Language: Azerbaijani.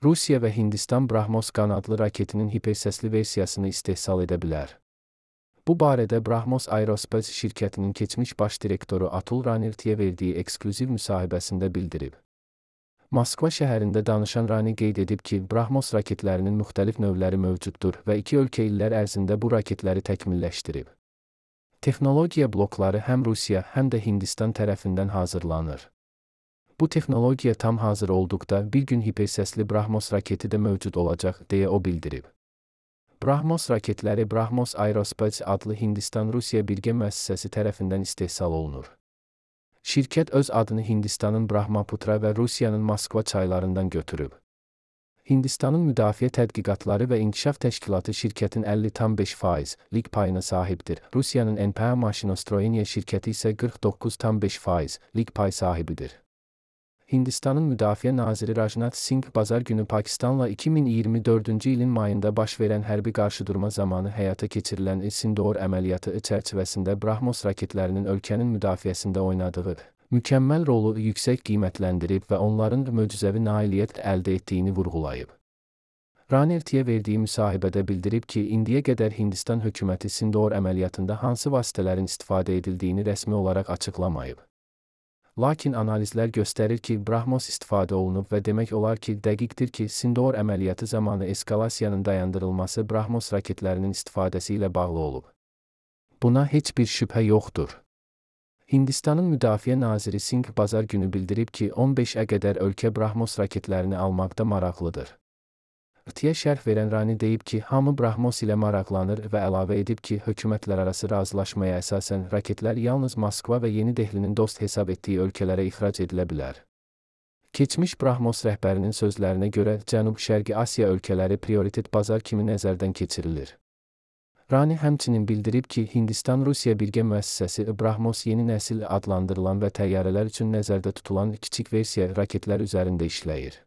Rusiya və Hindistan Brahmos qanadlı raketinin hipersəsli versiyasını istehsal edə bilər. Bu barədə Brahmos Aerospace şirkətinin keçmiş baş direktoru Atul Ranirtiyə verdiyi eksklüziv müsahibəsində bildirib. Moskva şəhərində danışan Rani qeyd edib ki, Brahmos raketlərinin müxtəlif növləri mövcuddur və iki ölkə illər ərzində bu raketləri təkmilləşdirib. Texnologiya blokları həm Rusiya, həm də Hindistan tərəfindən hazırlanır. Bu texnologiya tam hazır olduqda bir gün hipersəsli Brahmos raketi də mövcud olacaq, deyə o bildirib. Brahmos raketləri Brahmos Aerospace adlı Hindistan-Rusiya birgə müəssisəsi tərəfindən istehsal olunur. Şirkət öz adını Hindistanın Brahmaputra və Rusiyanın Moskva çaylarından götürüb. Hindistanın Müdafiə Tədqiqatları və İnkişaf Təşkilatı şirkətin 50,5%lik payına sahibdir. Rusiyanın NPA Maşinostroyeniya şirkəti isə 49,5%lik pay sahibidir. Hindistanın Müdafiə naziri Rajnath Singh bazar günü Pakistanla 2024-cü ilin mayında baş verən hərbi qarşıdurma zamanı həyata keçirilən Sindoor əməliyyatı çərçivəsində Brahmos raketlərinin ölkənin müdafiəsində oynadığı mükəmməl rolu yüksək qiymətləndirib və onların möcüzəvi nailiyyət əldə etdiyini vurğulayıb. Ranirtiyə verdiyi müsahibədə bildirib ki, indiyə qədər Hindistan hökuməti Sindoor əməliyyatında hansı vasitələrin istifadə edildiyini rəsmi olaraq açıqlamayıb. Lakin analizlər göstərir ki, Brahmos istifadə olunub və demək olar ki, dəqiqdir ki, Sindoor əməliyyatı zamanı eskalasiyanın dayandırılması Brahmos raketlərinin istifadəsi ilə bağlı olub. Buna heç bir şübhə yoxdur. Hindistanın Müdafiə naziri Singh bazar günü bildirib ki, 15-ə qədər ölkə Brahmos raketlərini almaqda maraqlıdır. Tiyə şərh verən Rani deyib ki, hamı Brahmos ilə maraqlanır və əlavə edib ki, hökumətlərarası razılaşmaya əsasən raketlər yalnız Moskva və Yeni Dehlinin dost hesab etdiyi ölkələrə ixrac edilə bilər. Keçmiş Brahmos rəhbərinin sözlərinə görə Cənub-Şərqi Asiya ölkələri prioritet bazar kimi nəzərdən keçirilir. Rani həmçinin bildirib ki, Hindistan-Rusiya birgə müəssisəsi Brahmos yeni nəsil adlandırılan və təyyarələr üçün nəzərdə tutulan kiçik versiya raketlər üzərində işləyir.